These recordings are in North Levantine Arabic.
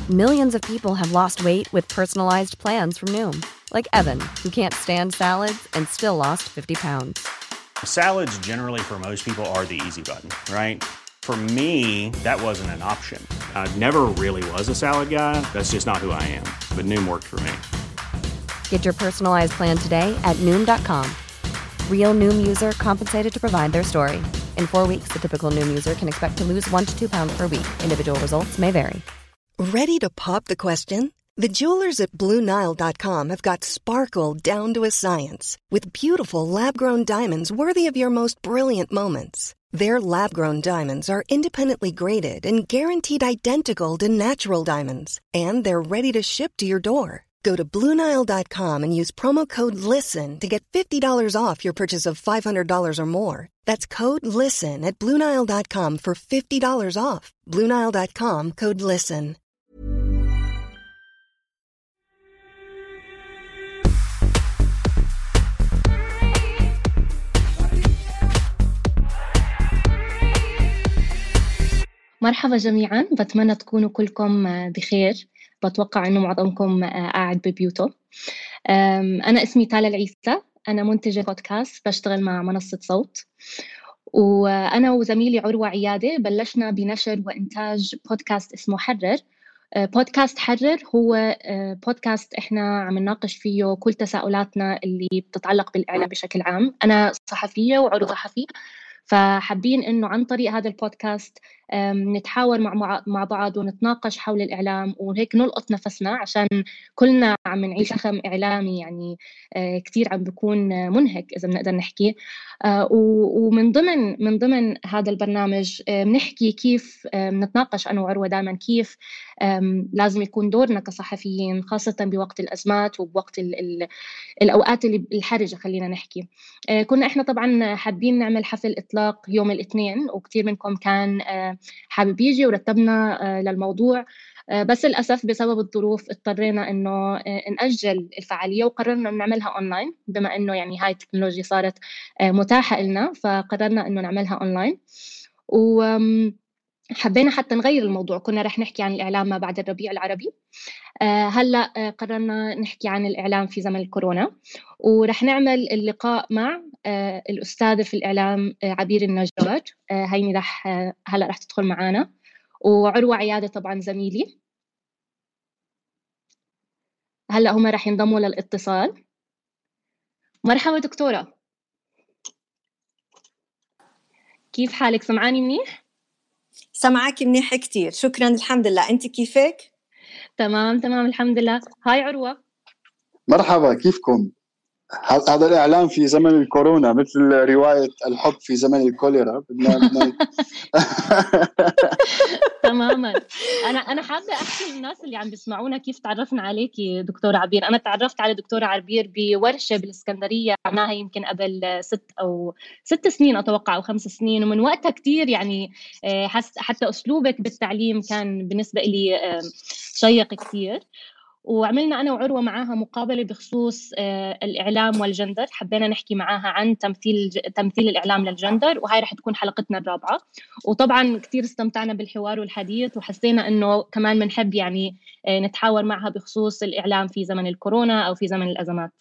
Millions of people have lost weight with personalized plans from Noom. Like Evan, who can't stand salads and still lost 50 pounds. Salads generally for most people are the easy button, right? For me, that wasn't an option. I never really was a salad guy. That's just not who I am. But Noom worked for me. Get your personalized plan today at Noom.com. Real Noom user compensated to provide their story. In 4 weeks, the typical Noom user can expect to lose 1 to 2 pounds per week. Individual results may vary. Ready to pop the question? The jewelers at BlueNile.com have got sparkle down to a science with beautiful lab-grown diamonds worthy of your most brilliant moments. Their lab-grown diamonds are independently graded and guaranteed identical to natural diamonds, and they're ready to ship to your door. Go to BlueNile.com and use promo code LISTEN to get $50 off your purchase of $500 or more. That's code LISTEN at BlueNile.com for $50 off. BlueNile.com, code LISTEN. مرحبا جميعاً، بتمنى تكونوا كلكم بخير. بتوقع إنه معظمكم قاعد ببيوته. أنا اسمي تالا العيسى، أنا منتجة بودكاست بشتغل مع منصة صوت، وأنا وزميلي عروة عيادة بلشنا بنشر وإنتاج بودكاست اسمه حرر. بودكاست حرر هو بودكاست إحنا عم نناقش فيه كل تساؤلاتنا اللي بتتعلق بالإعلام بشكل عام. أنا صحفية وعروة صحفي، فحابين إنه عن طريق هذا البودكاست نتحاور مع بعض ونتناقش حول الإعلام، وهيك نلقط نفسنا عشان كلنا عم نعيش شخم إعلامي يعني كتير عم بيكون منهك إذا بنقدر نحكي. ومن ضمن هذا البرنامج بنحكي كيف نتناقش أنا وعروة دائما كيف لازم يكون دورنا كصحفيين، خاصة بوقت الأزمات وبوقت الأوقات اللي الحرجة. خلينا نحكي كنا إحنا طبعا حابين نعمل حفل إطلاق يوم الاثنين، وكتير منكم كان حابب يجي ورتبنا للموضوع، بس للأسف بسبب الظروف اضطرينا إنه نأجل الفعالية، وقررنا نعملها أونلاين بما إنه يعني هاي التكنولوجيا صارت متاحة لنا، فقررنا إنه نعملها أونلاين. حبينا حتى نغير الموضوع، كنا رح نحكي عن الإعلام ما بعد الربيع العربي، هلأ قررنا نحكي عن الإعلام في زمن الكورونا، ورح نعمل اللقاء مع الأستاذة في الإعلام عبير النجار. هيني هلأ رح تدخل معنا، وعروة عيادة طبعا زميلي هلأ هم رح ينضموا للاتصال. مرحبا دكتورة، كيف حالك؟ سمعاني منيح؟ سمعك منيح كتير، شكرا. الحمد لله، أنت كيفك؟ تمام الحمد لله. هاي عروة. مرحبا، كيفكم؟ هذا الإعلام في زمن الكورونا مثل رواية الحب في زمن الكوليرا. تماما. أنا حابة أحكي للناس اللي عم بيسمعونا كيف تعرفنا عليكي دكتورة عبير. أنا تعرفت على دكتورة عبير بورشة بالإسكندرية عملناها يمكن قبل 6 سنين أتوقع أو 5 سنين، ومن وقتها كتير يعني حتى أسلوبك بالتعليم كان بالنسبة لي شيق كتير. وعملنا أنا وعروة معاها مقابلة بخصوص الإعلام والجندر، حبينا نحكي معاها عن تمثيل الإعلام للجندر، وهاي رح تكون حلقتنا الرابعة. وطبعا كتير استمتعنا بالحوار والحديث، وحسينا إنه كمان بنحب يعني نتحاور معها بخصوص الإعلام في زمن الكورونا أو في زمن الأزمات.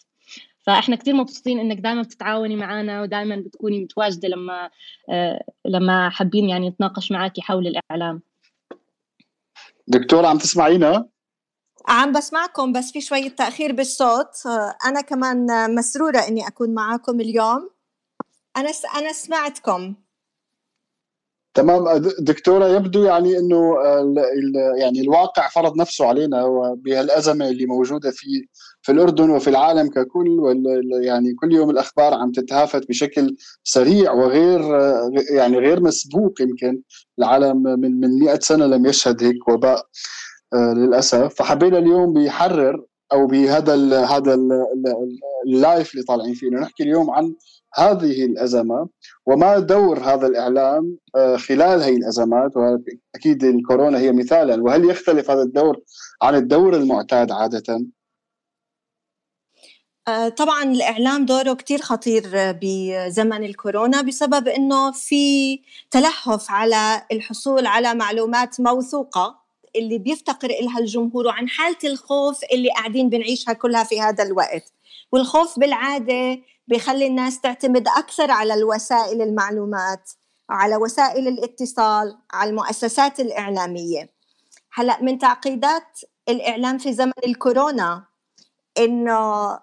فإحنا كتير مبسوطين إنك دائما بتتعاوني معنا ودائما بتكوني متواجدة لما حابين يعني نتناقش معاكي حول الإعلام. دكتورة عم تسمعينا؟ عم بسمعكم بس في شوية تأخير بالصوت. أنا كمان مسرورة إني أكون معاكم اليوم. أنا سمعتكم تمام. دكتورة، يبدو يعني إنه يعني الواقع فرض نفسه علينا بهالأزمة اللي موجودة في الأردن وفي العالم ككل، يعني كل يوم الأخبار عم تتهافت بشكل سريع وغير يعني غير مسبوق. يمكن العالم من 100 سنة لم يشهد هيك وباء للأسف. فحبينا اليوم بيحرر أو بهذا اللايف اللي طالعين فيه إنه نحكي اليوم عن هذه الأزمة وما دور هذا الإعلام خلال هذه الأزمات، وأكيد الكورونا هي مثالا. وهل يختلف هذا الدور عن الدور المعتاد عادة؟ طبعا الإعلام دوره كتير خطير بزمن الكورونا بسبب إنه في تلهف على الحصول على معلومات موثوقة اللي بيفتقر إلها الجمهور وعن حالة الخوف اللي قاعدين بنعيشها كلها في هذا الوقت. والخوف بالعادة بيخلي الناس تعتمد أكثر على الوسائل المعلومات، على وسائل الاتصال، على المؤسسات الإعلامية. هلأ من تعقيدات الإعلام في زمن الكورونا إنه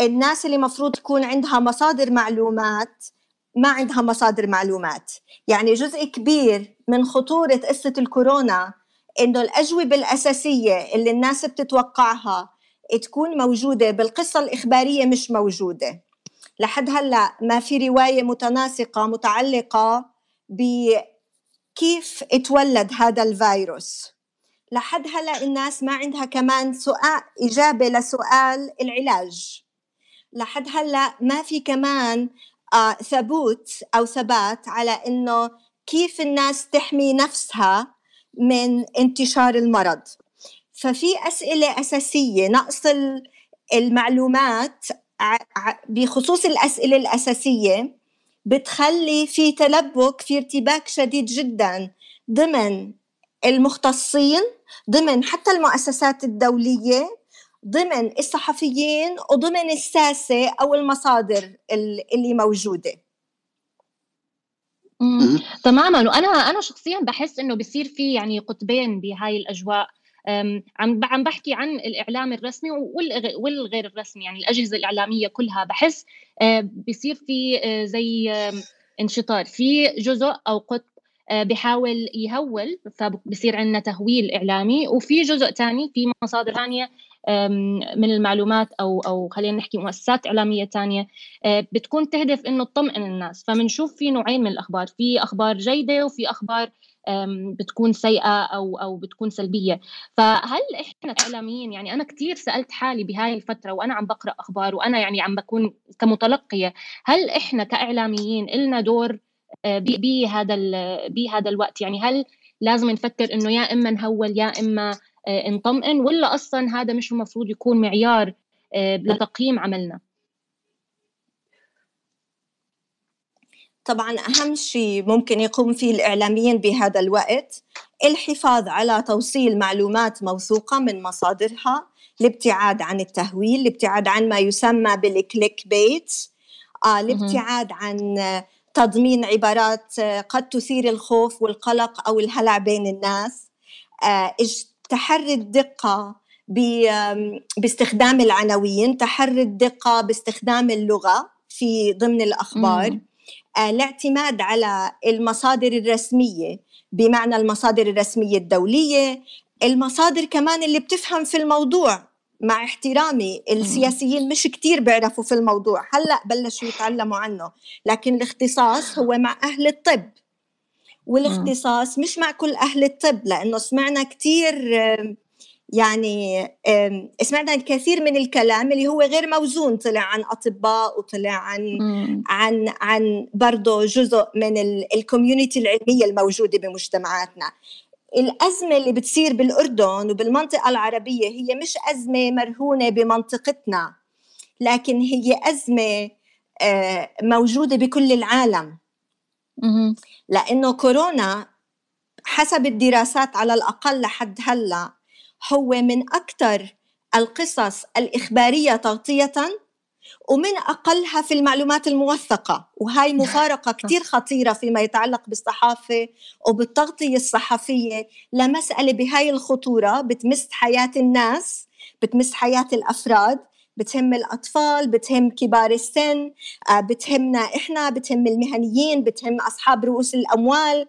الناس اللي مفروض تكون عندها مصادر معلومات ما عندها مصادر معلومات. يعني جزء كبير من خطورة قصة الكورونا إنه الأجوبة الأساسية اللي الناس بتتوقعها تكون موجودة بالقصة الإخبارية مش موجودة. لحد هلأ ما في رواية متناسقة متعلقة بكيف اتولد هذا الفيروس. لحد هلأ الناس ما عندها كمان سؤال إجابة لسؤال العلاج. لحد هلأ ما في كمان ثبات على إنه كيف الناس تحمي نفسها من انتشار المرض. ففي أسئلة أساسية، نقص المعلومات بخصوص الأسئلة الأساسية بتخلي في تلبك، في ارتباك شديد جدا ضمن المختصين، ضمن حتى المؤسسات الدولية، ضمن الصحفيين، وضمن الساسة أو المصادر اللي موجودة. تماما. وأنا شخصيا بحس إنه بيصير في يعني قطبين بهاي الأجواء. عم بحكي عن الإعلام الرسمي والغير الرسمي، يعني الأجهزة الإعلامية كلها. بحس بيصير في زي انشطار في جزء أو قطب بيحاول يهول، فبصير عندنا تهويل إعلامي. وفي جزء تاني، في مصادر ثانية من المعلومات أو خلينا نحكي مؤسسات إعلامية تانية بتكون تهدف إنه تطمئن الناس. فمنشوف في نوعين من الأخبار، في أخبار جيدة وفي أخبار بتكون سيئة أو بتكون سلبية. فهل إحنا كإعلاميين، يعني أنا كتير سألت حالي بهاي الفترة وأنا عم بقرأ أخبار وأنا يعني عم بكون كمتلقية، هل إحنا كإعلاميين إلنا دور بهذا الوقت؟ يعني هل لازم نفكر إنه يا إما نهول يا إما نطمئن، ولا أصلا هذا مش المفروض يكون معيار لتقييم عملنا؟ طبعاً أهم شيء ممكن يقوم فيه الإعلاميين بهذا الوقت الحفاظ على توصيل معلومات موثوقة من مصادرها، الابتعاد عن التهويل، الابتعاد عن ما يسمى بالكليك بيت، الابتعاد عن تضمين عبارات قد تثير الخوف والقلق أو الهلع بين الناس، تحري الدقة باستخدام العناوين، تحري الدقة باستخدام اللغة في ضمن الأخبار، الاعتماد على المصادر الرسمية، بمعنى المصادر الرسمية الدولية، المصادر كمان اللي بتفهم في الموضوع. مع احترامي السياسيين مش كتير بيعرفوا في الموضوع، هلأ بلشوا يتعلموا عنه، لكن الاختصاص هو مع أهل الطب، والاختصاص مش مع كل أهل الطب، لأنه سمعنا كتير يعني سمعنا الكثير من الكلام اللي هو غير موزون، طلع عن أطباء وطلع عن برضو جزء من الكوميونيتي العلمية الموجودة بمجتمعاتنا. الأزمة اللي بتصير بالأردن وبالمنطقة العربية هي مش أزمة مرهونة بمنطقتنا، لكن هي أزمة موجودة بكل العالم، لأنه كورونا حسب الدراسات على الأقل لحد هلأ هو من أكثر القصص الإخبارية تغطية ومن أقلها في المعلومات الموثقة. وهاي مفارقة كتير خطيرة فيما يتعلق بالصحافة وبالتغطية الصحفية لمسألة بهاي الخطورة بتمس حياة الناس، بتمس حياة الأفراد، بتهم الأطفال، بتهم كبار السن، بتهمنا إحنا، بتهم المهنيين، بتهم أصحاب رؤوس الأموال.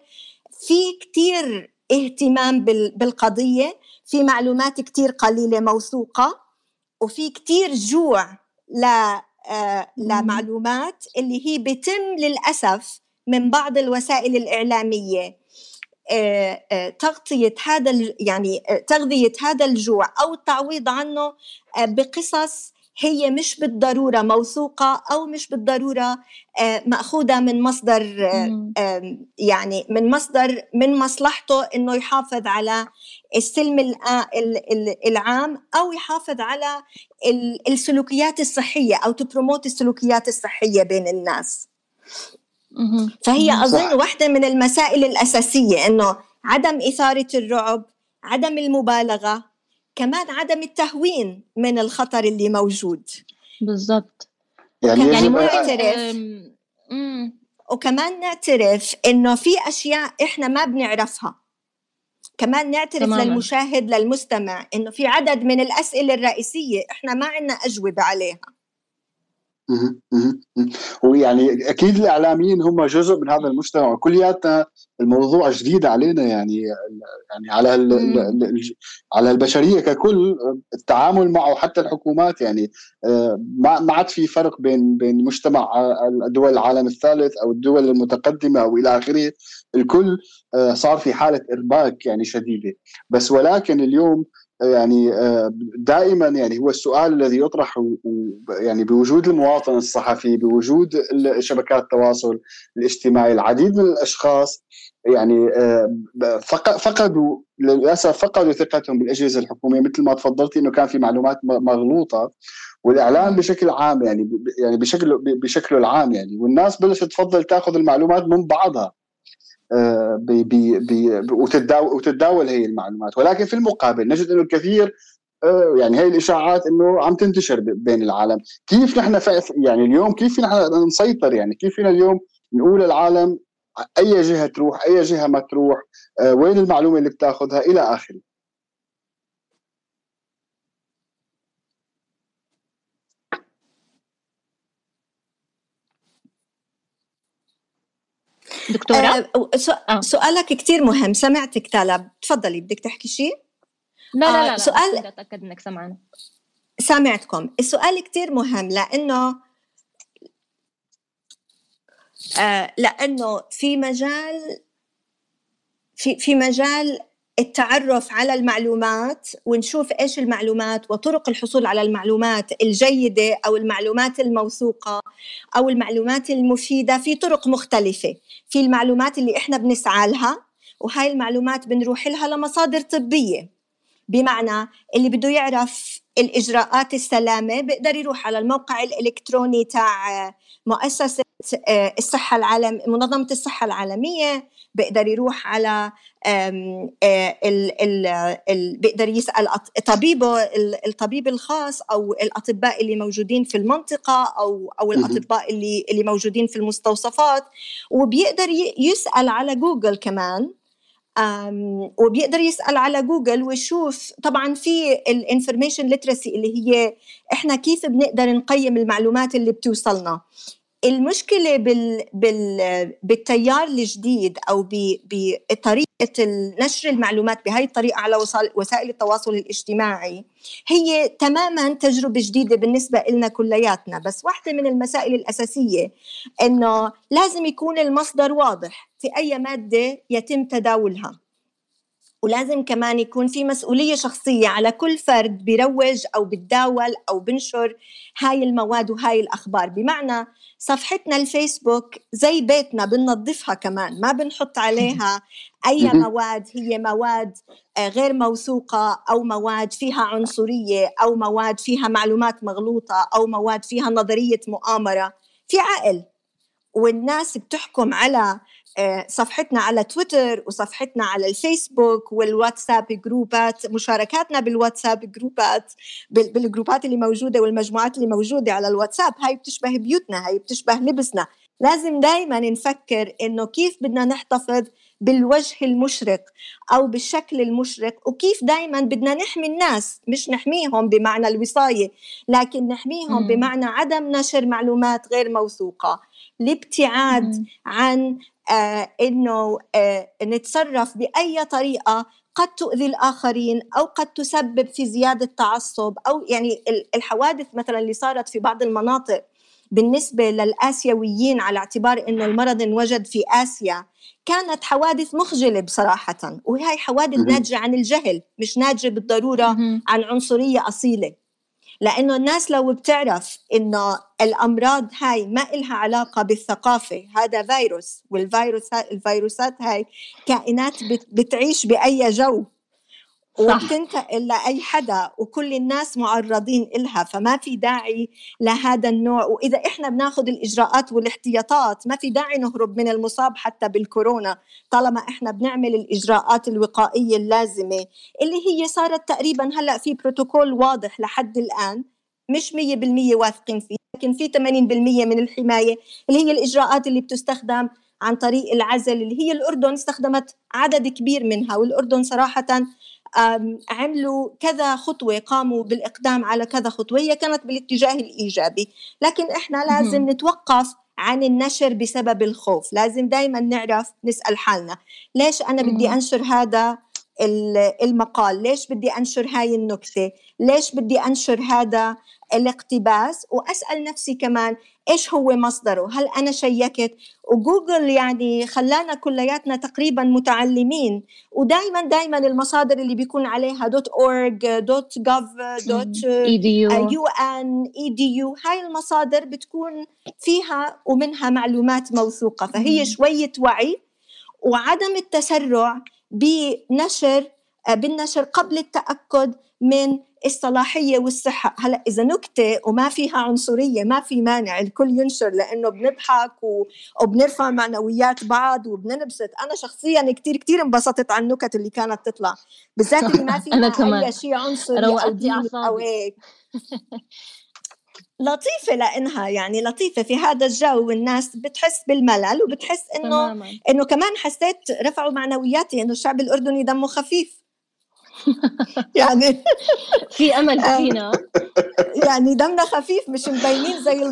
في كتير اهتمام بالقضية، في معلومات كتير قليلة موثوقة، وفي كتير جوع لمعلومات اللي هي بيتم للأسف من بعض الوسائل الإعلامية تغطية تغذية هذا الجوع أو التعويض عنه بقصص هي مش بالضرورة موثوقة أو مش بالضرورة مأخوذة من مصدر يعني من مصلحته إنه يحافظ على السلم العام أو يحافظ على السلوكيات الصحية أو تبروموت السلوكيات الصحية بين الناس. فهي أظن واحدة من المسائل الأساسية إنه عدم إثارة الرعب، عدم المبالغة، كمان عدم التهوين من الخطر اللي موجود. بالضبط. يعني نعترف وكمان نعترف إنه في أشياء إحنا ما بنعرفها، كمان نعترف تماماً للمشاهد للمستمع إنه في عدد من الأسئلة الرئيسية إحنا ما عنا أجوبة عليها. ويعني أكيد الإعلاميين هم جزء من هذا المجتمع، وكلياتنا الموضوع جديد علينا، يعني على البشرية ككل التعامل معه، حتى الحكومات. يعني ما عاد في فرق بين مجتمع الدول العالم الثالث أو الدول المتقدمة أو إلى آخره، الكل صار في حالة إرباك يعني شديدة. بس ولكن اليوم يعني دائما يعني هو السؤال الذي يطرح، يعني بوجود المواطن الصحفي، بوجود شبكات التواصل الاجتماعي، العديد من الأشخاص يعني فقدوا للأسف ثقتهم بالأجهزة الحكومية، مثل ما تفضلتي إنه كان في معلومات مغلوطة، والإعلام بشكل عام يعني بشكله العام يعني، والناس بلشت تفضل تأخذ المعلومات من بعضها وتتداول هي المعلومات. ولكن في المقابل نجد انه الكثير يعني هي الاشاعات انه عم تنتشر بين العالم. كيف نحن يعني اليوم كيف نحن نسيطر؟ يعني كيف فينا اليوم نقول للعالم اي جهه تروح، اي جهه ما تروح، وين المعلومه اللي بتاخذها الى اخره؟ دكتورة سؤالك كتير مهم. سمعتك تالا، تفضلي بدك تحكي شيء؟ لا سؤال أتأكد إنك سمعنا. سامعتكم. السؤال كتير مهم لأنه في مجال التعرف على المعلومات، ونشوف إيش المعلومات وطرق الحصول على المعلومات الجيدة أو المعلومات الموثوقة أو المعلومات المفيدة. في طرق مختلفة. في المعلومات اللي إحنا بنسعى لها، وهاي المعلومات بنروح لها لمصادر طبية، بمعنى اللي بده يعرف الإجراءات السلامة بيقدر يروح على الموقع الإلكتروني تاع مؤسسة الصحة العالمية، منظمة الصحة العالمية، بيقدر يروح على بيقدر يسأل طبيبه الطبيب الخاص أو الأطباء اللي موجودين في المنطقة أو الأطباء اللي موجودين في المستوصفات، وبيقدر يسأل على جوجل كمان، وبيقدر يسأل على جوجل ويشوف. طبعا في الانفورميشن ليترسي اللي هي احنا كيف بنقدر نقيم المعلومات اللي بتوصلنا. المشكلة بالتيار الجديد أو بطريقة نشر المعلومات بهاي الطريقة على وسائل التواصل الاجتماعي هي تماما تجربة جديدة بالنسبة لنا كلياتنا. بس واحدة من المسائل الأساسية إنه لازم يكون المصدر واضح في أي مادة يتم تداولها، ولازم كمان يكون في مسؤولية شخصية على كل فرد بيروج أو بتداول أو بنشر هاي المواد وهاي الأخبار. بمعنى صفحتنا الفيسبوك زي بيتنا بننظفها كمان، ما بنحط عليها أي مواد هي مواد غير موثوقة، أو مواد فيها عنصرية، أو مواد فيها معلومات مغلوطة، أو مواد فيها نظرية مؤامرة. في عقل، والناس بتحكم على صفحتنا على تويتر وصفحتنا على الفيسبوك والواتساب جروبات، مشاركاتنا بالواتساب جروبات، بالجروبات اللي موجودة والمجموعات اللي موجودة على الواتساب. هاي بتشبه بيوتنا، هاي بتشبه لبسنا. لازم دايما نفكر إنه كيف بدنا نحتفظ بالوجه المشرق أو بالشكل المشرق، وكيف دايما بدنا نحمي الناس، مش نحميهم بمعنى الوصاية، لكن نحميهم بمعنى عدم نشر معلومات غير موثوقة، الابتعاد عن إنه نتصرف بأي طريقة قد تؤذي الآخرين أو قد تسبب في زيادة تعصب. أو يعني الحوادث مثلا اللي صارت في بعض المناطق بالنسبة للآسيويين، على اعتبار إنه المرض انوجد في آسيا، كانت حوادث مخجلة بصراحة، وهي حوادث ناتجة عن الجهل، مش ناتجة بالضرورة عن عنصرية أصيلة. لأنه الناس لو بتعرف إنه الأمراض هاي ما إلها علاقة بالثقافة، هذا فيروس، والفيروسات هاي كائنات بتعيش بأي جو، وبتنتقل لأي حدا وكل الناس معرضين إلها، فما في داعي لهذا النوع. وإذا إحنا بناخد الإجراءات والاحتياطات ما في داعي نهرب من المصاب حتى بالكورونا، طالما إحنا بنعمل الإجراءات الوقائية اللازمة اللي هي صارت تقريبا هلأ في بروتوكول واضح لحد الآن، مش 100% واثقين فيه، لكن في 80% من الحماية اللي هي الإجراءات اللي بتستخدم عن طريق العزل، اللي هي الأردن استخدمت عدد كبير منها. والأردن صراحة عملوا كذا خطوة، قاموا بالإقدام على كذا خطوة هي كانت بالاتجاه الإيجابي. لكن إحنا لازم نتوقف عن النشر بسبب الخوف. لازم دايما نعرف نسأل حالنا ليش أنا بدي أنشر هذا المقال، ليش بدي أنشر هاي النكتة، ليش بدي أنشر هذا الاقتباس، وأسأل نفسي كمان إيش هو مصدره، هل أنا شيكت؟ وجوجل يعني خلانا كلياتنا تقريبا متعلمين، ودايما المصادر اللي بيكون عليها .org .gov .un .edu هاي المصادر بتكون فيها ومنها معلومات موثوقة. فهي شوية وعي وعدم التسرع بالنشر قبل التأكد من الصلاحية والصحة. هلأ إذا نكتة وما فيها عنصرية ما في مانع الكل ينشر، لأنه بنضحك وبنرفع معنويات بعض وبننبسط. أنا شخصياً كتير انبسطت عن النكت اللي كانت تطلع، بالذات اللي ما فيها أي شيء عنصري أو ديني أو هيك. لطيفة لأنها يعني لطيفة في هذا الجو، والناس بتحس بالملل وبتحس إنه كمان حسيت رفعوا معنوياتي إنه الشعب الأردني دمه خفيف. يعني في أمل فينا، يعني دمنا خفيف، مش مبينين زي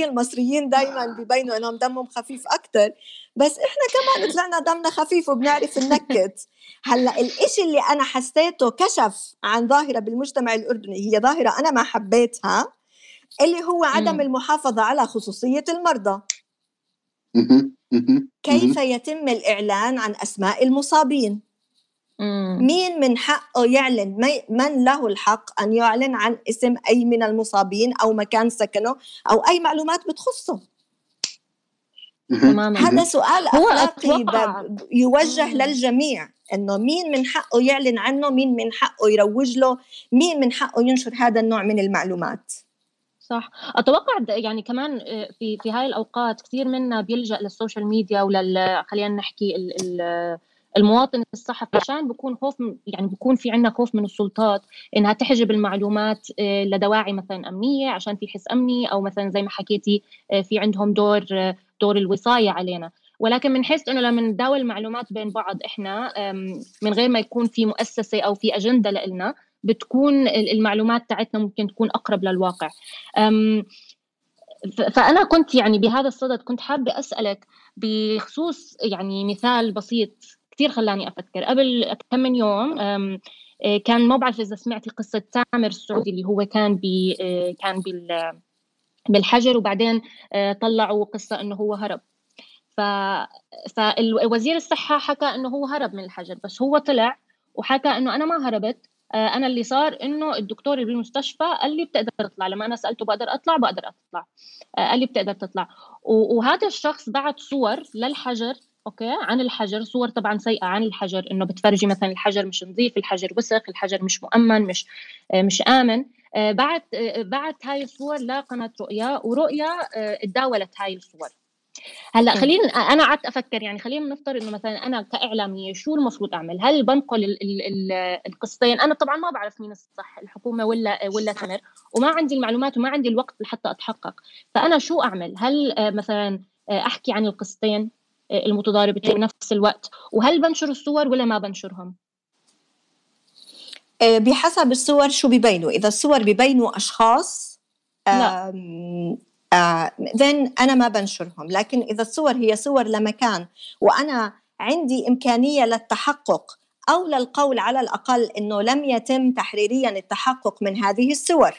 المصريين دايما بيبينوا إنهم دمهم خفيف أكتر، بس إحنا كمان طلعنا دمنا خفيف وبنعرف النكت. هلأ الإشي اللي أنا حسيته كشف عن ظاهرة بالمجتمع الأردني، هي ظاهرة أنا ما حبيتها، اللي هو عدم المحافظة على خصوصية المرضى. كيف يتم الإعلان عن أسماء المصابين؟ مين من حقه يعلن؟ من له الحق أن يعلن عن اسم أي من المصابين أو مكان سكنه أو أي معلومات بتخصه؟ هذا سؤال أخلاقي يوجه للجميع، إنه مين من حقه يعلن عنه، مين من حقه يروج له، مين من حقه ينشر هذا النوع من المعلومات. صح. أتوقع يعني كمان في هاي الأوقات كثير منا بيلجأ للسوشيال ميديا خلينا نحكي المواطن الصحفي، عشان بيكون خوف، يعني بيكون في عنا خوف من السلطات إنها تحجب المعلومات لدواعي مثلا أمنية، عشان في حس أمني، أو مثلا زي ما حكيتي في عندهم دور الوصاية علينا. ولكن بنحس إنه لما نداول المعلومات بين بعض إحنا من غير ما يكون في مؤسسة أو في أجندة لنا، بتكون المعلومات تاعتنا ممكن تكون أقرب للواقع. فأنا كنت يعني بهذا الصدد كنت حابة أسألك بخصوص يعني مثال بسيط كتير خلاني أفكر. قبل كم من يوم كان، ما بعرف إذا سمعتي قصة تامر السعودي اللي هو كان بالحجر، وبعدين طلعوا قصة إنه هو هرب. فالوزير الصحة حكى إنه هو هرب من الحجر، بس هو طلع وحكى إنه أنا ما هربت، أنا اللي صار إنه الدكتور اللي بالمستشفى قال لي بتقدر تطلع. لما أنا سألته بقدر أطلع قال لي بتقدر تطلع. وهذا الشخص بعت صور للحجر، أوكي، عن الحجر، صور طبعا سيئة عن الحجر، إنه بتفرجي مثلا الحجر مش نظيف، الحجر وسخ، الحجر مش مؤمن، مش آمن. بعت هاي الصور لقناة رؤيا، ورؤيا تداولت هاي الصور. هلا خلينا، انا قعدت افكر، يعني خلينا نفترض انه مثلا انا كاعلاميه شو المفروض اعمل؟ هل بنقل القصتين؟ انا طبعا ما بعرف مين الصح، الحكومه ولا تامر، وما عندي المعلومات وما عندي الوقت لحتى اتحقق. فانا شو اعمل؟ هل مثلا احكي عن القصتين المتضاربتين بنفس الوقت؟ وهل بنشر الصور ولا ما بنشرهم؟ بحسب الصور شو بيبينوا. اذا الصور بيبينوا اشخاص then أنا ما بنشرهم. لكن إذا الصور هي صور لمكان وأنا عندي إمكانية للتحقق أو للقول على الأقل إنه لم يتم تحريريا التحقق من هذه الصور،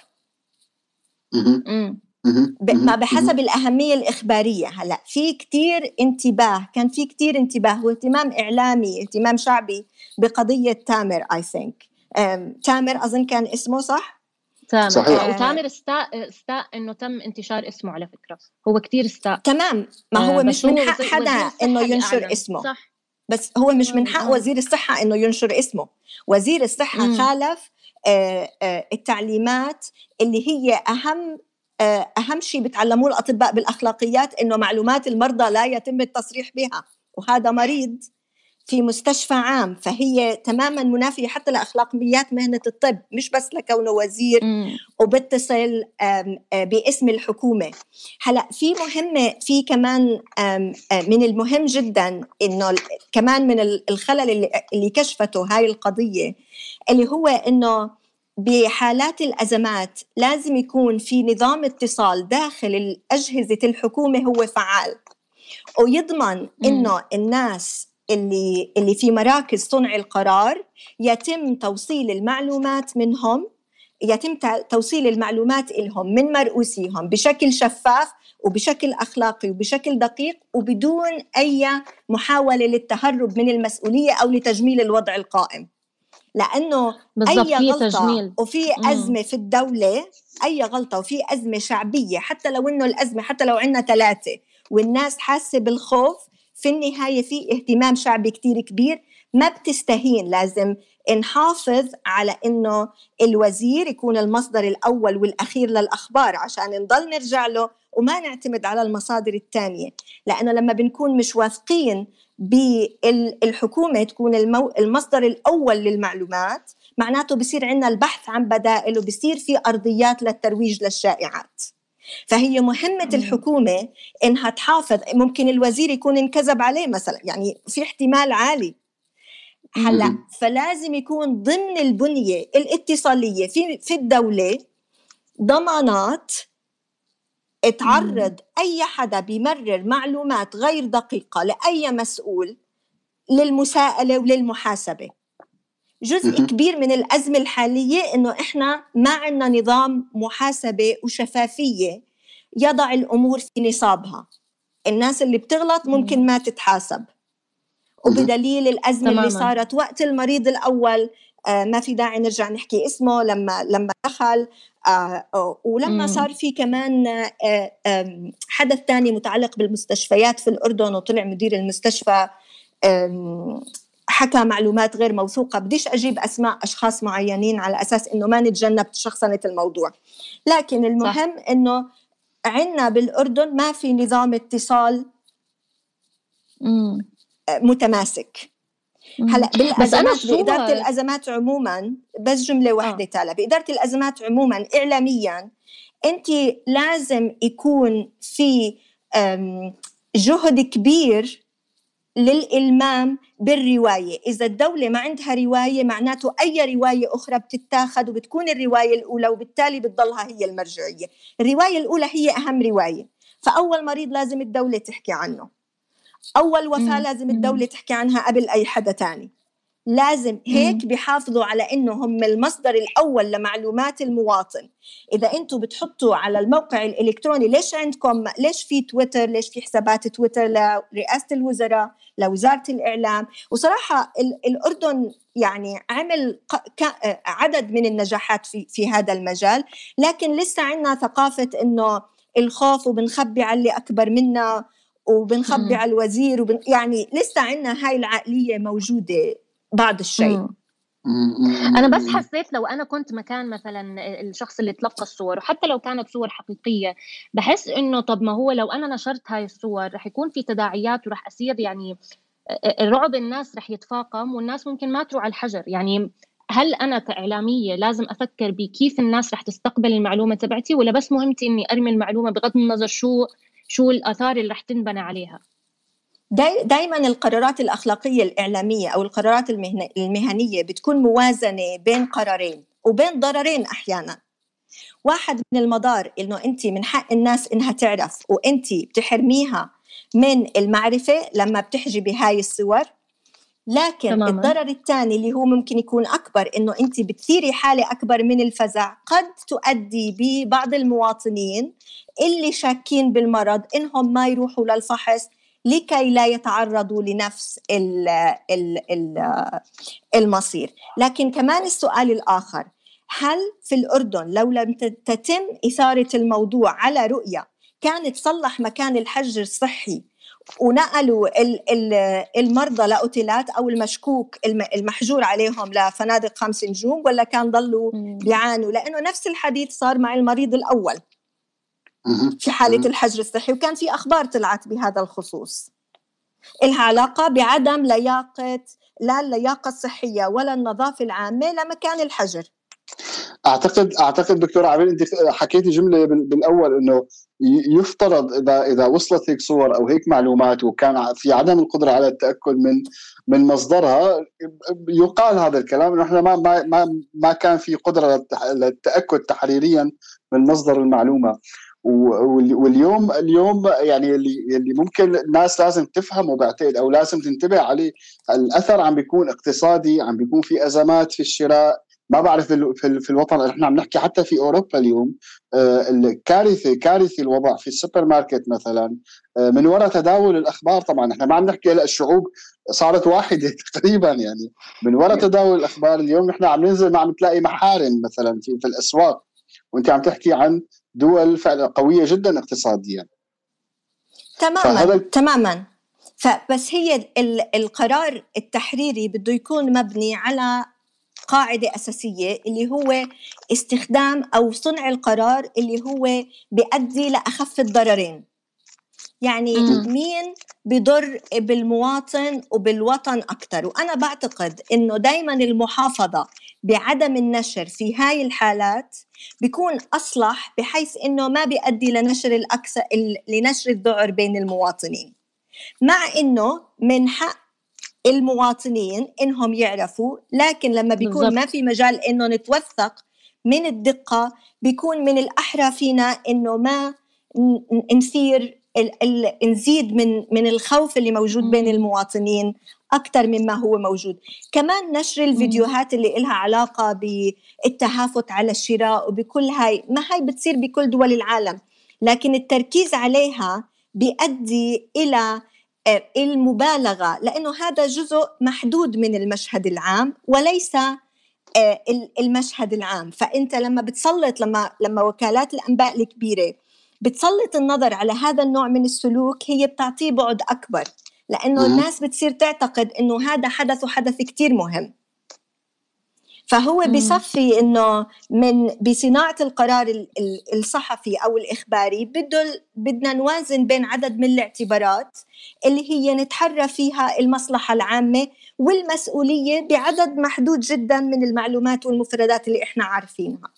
ما بحسب الأهمية الإخبارية. هلأ في كتير انتباه، كان في كتير انتباه واهتمام إعلامي، اهتمام شعبي بقضية تامر. I think تامر أظن كان اسمه صح؟ تامر. وتامر استاء انه تم انتشار اسمه، على فكرة هو كتير استاء. تمام، ما هو مش من حق حدا انه ينشر اسمه. صح بس هو مش من حق وزير الصحة إنه ينشر اسمه. وزير الصحة خالف التعليمات اللي هي أهم شيء بتعلموه الأطباء بالأخلاقيات، إنه معلومات المرضى لا يتم التصريح بها، وهذا مريض في مستشفى عام، فهي تماما منافية حتى لأخلاقيات مهنة الطب، مش بس لكونه وزير وبتصل باسم الحكومة. هلأ في كمان من المهم جدا إنه كمان من الخلل اللي كشفته هاي القضية، اللي هو إنه بحالات الأزمات لازم يكون في نظام اتصال داخل أجهزة الحكومة هو فعال، ويضمن إنه الناس اللي في مراكز صنع القرار يتم توصيل المعلومات منهم، يتم توصيل المعلومات إلهم من مرؤوسيهم بشكل شفاف وبشكل أخلاقي وبشكل دقيق، وبدون أي محاولة للتهرب من المسؤولية أو لتجميل الوضع القائم. لأنه أي غلطة وفي أزمة في الدولة، أي غلطة وفي أزمة شعبية، حتى لو إنه الأزمة حتى لو عنا 3 والناس حاسة بالخوف، في النهاية في اهتمام شعبي كتير كبير، ما بتستهين. لازم نحافظ على إنه الوزير يكون المصدر الأول والأخير للأخبار عشان نضل نرجع له وما نعتمد على المصادر التانية. لأنه لما بنكون مش واثقين بالحكومة تكون المصدر الأول للمعلومات، معناته بصير عنا البحث عن بدائل وبصير في أرضيات للترويج للشائعات. فهي مهمة الحكومة إنها تحافظ. ممكن الوزير يكون انكذب عليه مثلا، يعني في احتمال عالي. هلا فلازم يكون ضمن البنية الاتصالية في الدولة ضمانات تعرض أي حدا بيمرر معلومات غير دقيقة لأي مسؤول للمساءلة وللمحاسبة. جزء كبير من الأزمة الحالية إنه إحنا ما عندنا نظام محاسبة وشفافية يضع الأمور في نصابها. الناس اللي بتغلط ممكن ما تتحاسب، وبدليل الأزمة اللي صارت وقت المريض الأول، ما في داعي نرجع نحكي اسمه، لما دخل ولما صار في كمان حدث تاني متعلق بالمستشفيات في الأردن، وطلع مدير المستشفى حكى معلومات غير موثوقة. بديش أجيب أسماء أشخاص معينين على أساس إنه ما نتجنب شخصنة الموضوع، لكن المهم صح. إنه عنا بالأردن ما في نظام اتصال متماسك. هلا بالأزمات بإدارة الأزمات عموما، بس جملة واحدة تالا، بإدارة الأزمات عموما إعلاميا أنت لازم يكون في جهد كبير للإلمام بالرواية. إذا الدولة ما عندها رواية معناته أي رواية أخرى بتتاخد وبتكون الرواية الأولى، وبالتالي بتضلها هي المرجعية. الرواية الأولى هي أهم رواية. فأول مريض لازم الدولة تحكي عنه، أول وفاة لازم الدولة تحكي عنها قبل أي حدا تاني. لازم هيك بيحافظوا على إنه هم المصدر الأول لمعلومات المواطن. إذا أنتوا بتحطوا على الموقع الإلكتروني، ليش عندكم، ليش في تويتر، ليش في حسابات تويتر لرئاسة الوزراء، لوزارة الإعلام؟ وصراحة الأردن يعني عمل عدد من النجاحات في هذا المجال، لكن لسه عنا ثقافة إنه الخوف وبنخبي على اللي أكبر منا وبنخبي على الوزير يعني لسه عنا هاي العقلية موجودة بعض الشيء. أنا بس حسيت لو أنا كنت مكان مثلا الشخص اللي تلقى الصور، وحتى لو كانت صور حقيقية، بحس إنه طب ما هو لو أنا نشرت هاي الصور رح يكون في تداعيات ورح أصير يعني الرعب، الناس رح يتفاقم والناس ممكن ما تروح على الحجر. يعني هل أنا كإعلامية لازم أفكر بكيف الناس رح تستقبل المعلومة تبعتي، ولا بس مهمتي إني أرمي المعلومة بغض النظر شو الآثار اللي رح تنبنى عليها؟ دايما القرارات الأخلاقية الإعلامية أو القرارات المهنية بتكون موازنة بين قرارين وبين ضررين أحيانا. واحد من المضار إنه أنت من حق الناس إنها تعرف، وأنت بتحرميها من المعرفة لما بتحجبي هاي الصور. لكن تماما. الضرر الثاني اللي هو ممكن يكون أكبر، إنه أنت بتثيري حالة أكبر من الفزع، قد تؤدي ببعض المواطنين اللي شاكين بالمرض إنهم ما يروحوا للفحص لكي لا يتعرضوا لنفس المصير. لكن كمان السؤال الآخر، هل في الأردن لو لم تتم إثارة الموضوع على رؤية كانت تصلح مكان الحجر الصحي ونقلوا المرضى لأوتيلات أو المشكوك المحجور عليهم لفنادق 5 نجوم، ولا كان ضلوا بيعانوا؟ لأنه نفس الحديث صار مع المريض الأول في حالة الحجر الصحي، وكان في أخبار طلعت بهذا الخصوص إلها علاقة بعدم لياقة، لا اللياقة الصحية ولا النظافة العامة لمكان الحجر. أعتقد دكتورة عبير أنت حكيتي جملة بالأول إنه يفترض إذا وصلت هيك صور أو هيك معلومات وكان في عدم القدرة على التأكد من مصدرها، يقال هذا الكلام إنه إحنا ما كان في قدرة للتأكد تحريريا من مصدر المعلومة. واليوم يعني اللي ممكن الناس لازم تفهمه بعتقد أو لازم تنتبه عليه، الأثر عم بيكون اقتصادي، عم بيكون في أزمات في الشراء. ما بعرف في الوطن، احنا عم نحكي حتى في اوروبا اليوم كارثي الوضع في السوبر ماركت مثلا من وراء تداول الاخبار. طبعا احنا ما عم نحكي هلا الشعوب صارت واحده تقريبا، يعني من وراء تداول الاخبار اليوم نحن عم ننزل ما عم تلاقي محارم مثلا في الاسواق، وانت عم تحكي عن دول فعلا قويه جدا اقتصاديا. تماما. فبس هي القرار التحريري بده يكون مبني على قاعدة أساسية اللي هو استخدام أو صنع القرار اللي هو بيؤدي لأخف الضررين. يعني مين بيضر بالمواطن وبالوطن أكتر؟ وأنا بعتقد إنه دايما المحافظة بعدم النشر في هاي الحالات بيكون أصلح، بحيث إنه ما بيؤدي لنشر الذعر بين المواطنين، مع إنه من حق المواطنين إنهم يعرفوا، لكن لما بيكون ما في مجال إنه نتوثق من الدقة، بيكون من الأحرى فينا إنه ما نزيد من الخوف اللي موجود بين المواطنين أكتر مما هو موجود. كمان نشر الفيديوهات اللي إلها علاقة بالتهافت على الشراء وبكل هاي، ما هاي بتصير بكل دول العالم، لكن التركيز عليها بيؤدي إلى المبالغة، لأنه هذا جزء محدود من المشهد العام وليس المشهد العام. فأنت لما بتسلط لما وكالات الأنباء الكبيرة بتسلط النظر على هذا النوع من السلوك، هي بتعطيه بعد أكبر، لأنه الناس بتصير تعتقد أنه هذا حدث كتير مهم. فهو بيصفي إنه بصناعة القرار الصحفي أو الإخباري بدنا نوازن بين عدد من الاعتبارات اللي هي نتحرى فيها المصلحة العامة والمسؤولية بعدد محدود جدا من المعلومات والمفردات اللي إحنا عارفينها.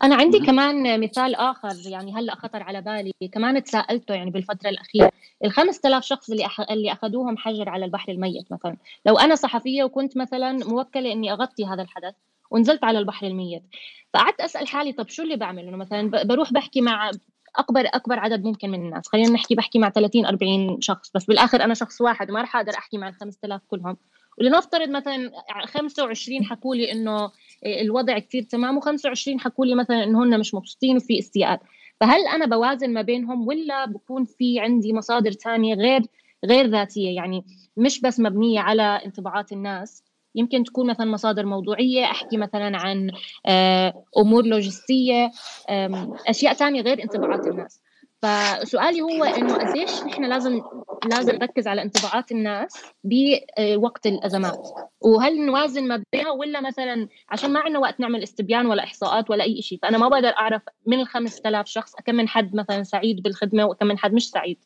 أنا عندي كمان مثال آخر، يعني هلأ خطر على بالي، كمان تساءلته يعني بالفترة الأخيرة، 5000 شخص اللي أخذوهم حجر على البحر الميت مثلا. لو أنا صحفية وكنت مثلا موكلة إني أغطي هذا الحدث ونزلت على البحر الميت، فقعدت أسأل حالي طب شو اللي بعمل؟ إنه مثلا بروح بحكي مع أكبر عدد ممكن من الناس، خلينا نحكي بحكي مع 30-40 شخص، بس بالآخر أنا شخص واحد وما رح أقدر أحكي مع 5000 كلهم. ولنفترض مثلا 25 حكوا لي إنه الوضع كتير تمام، و25 حكوا لي مثلا إنه هن مش مبسوطين وفي استياء. فهل أنا بوازن ما بينهم، ولا بكون في عندي مصادر تانية غير ذاتية، يعني مش بس مبنية على انطباعات الناس، يمكن تكون مثلا مصادر موضوعية، أحكي مثلا عن أمور لوجستية، أشياء تانية غير انطباعات الناس. فسؤالي هو إنه قديش نحن لازم نركز على انطباعات الناس بوقت الأزمات، وهل نوازن ما بينها، ولا مثلا عشان ما عندنا وقت نعمل استبيان ولا إحصاءات ولا أي شيء، فأنا ما بقدر أعرف من 5000 شخص كم من حد مثلا سعيد بالخدمة وكم من حد مش سعيد.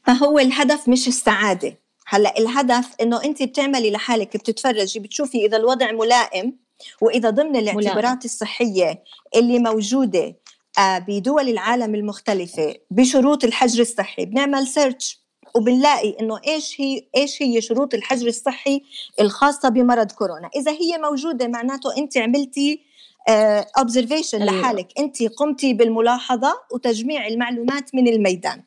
فهو الهدف مش السعادة. هلأ الهدف إنه أنت بتعملي لحالك، بتتفرجي بتشوفي إذا الوضع ملائم، وإذا ضمن الاعتبارات الصحية اللي موجودة بدول العالم المختلفة بشروط الحجر الصحي. بنعمل سيرش وبنلاقي إنه إيش هي شروط الحجر الصحي الخاصة بمرض كورونا. إذا هي موجودة معناته أنت عملتي observation لحالك، أنت قمتي بالملاحظة وتجميع المعلومات من الميدان.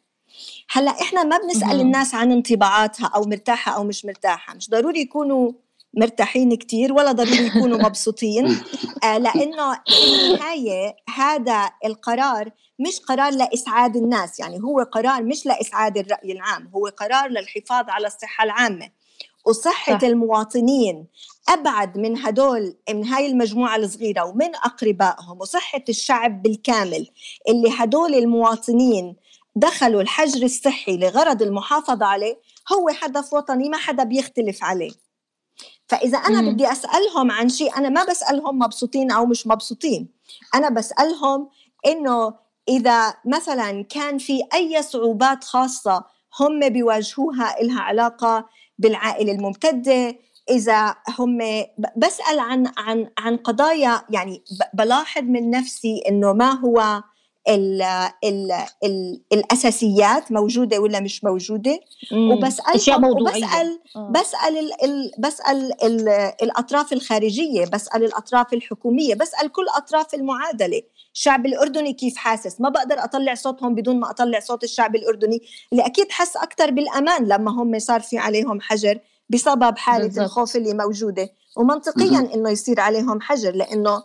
هلأ إحنا ما بنسأل الناس عن انطباعاتها أو مرتاحة أو مش مرتاحة، مش ضروري يكونوا مرتاحين كتير ولا ضروري يكونوا مبسوطين، لأنه في النهاية هذا القرار مش قرار لإسعاد الناس، يعني هو قرار مش لإسعاد الرأي العام، هو قرار للحفاظ على الصحة العامة وصحة المواطنين أبعد من هاي المجموعة الصغيرة ومن أقربائهم، وصحة الشعب بالكامل اللي هدول المواطنين دخلوا الحجر الصحي لغرض المحافظة عليه هو هدف وطني ما حدا بيختلف عليه. فإذا أنا بدي أسألهم عن شيء، أنا ما بسألهم مبسوطين أو مش مبسوطين، أنا بسألهم إنه إذا مثلا كان في أي صعوبات خاصة هم بيواجهوها إلها علاقة بالعائلة الممتدة، إذا هم بسأل عن قضايا، يعني بلاحظ من نفسي إنه ما هو الأساسيات موجودة ولا مش موجودة، وبسألهم بسأل الأطراف الخارجية، بسأل الأطراف الحكومية، بسأل كل أطراف المعادلة. الشعب الأردني كيف حاسس؟ ما بقدر أطلع صوتهم بدون ما أطلع صوت الشعب الأردني اللي أكيد حس أكتر بالأمان لما هم صار في عليهم حجر بسبب حالة بالزبط. الخوف اللي موجودة، ومنطقيا إنه يصير عليهم حجر لأنه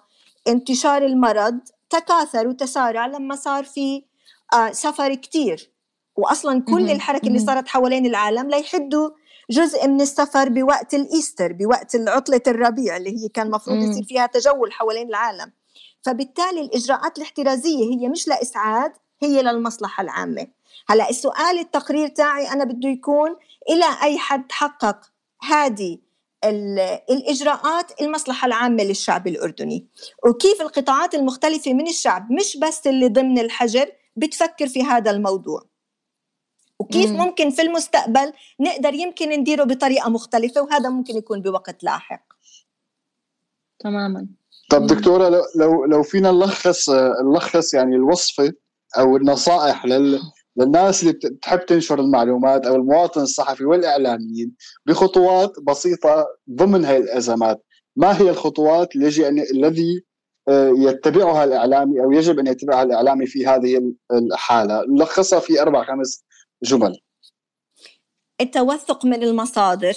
انتشار المرض تكاثر وتسارع لما صار في سفر كتير، وأصلا كل الحركة اللي صارت حوالين العالم ليحدوا جزء من السفر بوقت الإيستر، بوقت العطلة الربيع اللي هي كان مفروض يصير فيها تجول حوالين العالم. فبالتالي الإجراءات الاحترازية هي مش لإسعاد، هي للمصلحة العامة. هلأ السؤال التقرير تاعي أنا بده يكون إلى أي حد حقق هذه الإجراءات المصلحة العامة للشعب الأردني، وكيف القطاعات المختلفة من الشعب مش بس اللي ضمن الحجر بتفكر في هذا الموضوع، وكيف ممكن في المستقبل نقدر يمكن نديره بطريقة مختلفة، وهذا ممكن يكون بوقت لاحق. تماما. طب دكتورة، لو فينا نلخص يعني الوصفة أو النصائح للناس اللي بتحب تنشر المعلومات أو المواطن الصحفي والإعلاميين بخطوات بسيطة ضمن هاي الأزمات، ما هي الخطوات الذي يتبعها الإعلامي أو يجب أن يتبعها الإعلامي في هذه الحالة؟ نلخصها في 4-5 جمل. التوثق من المصادر،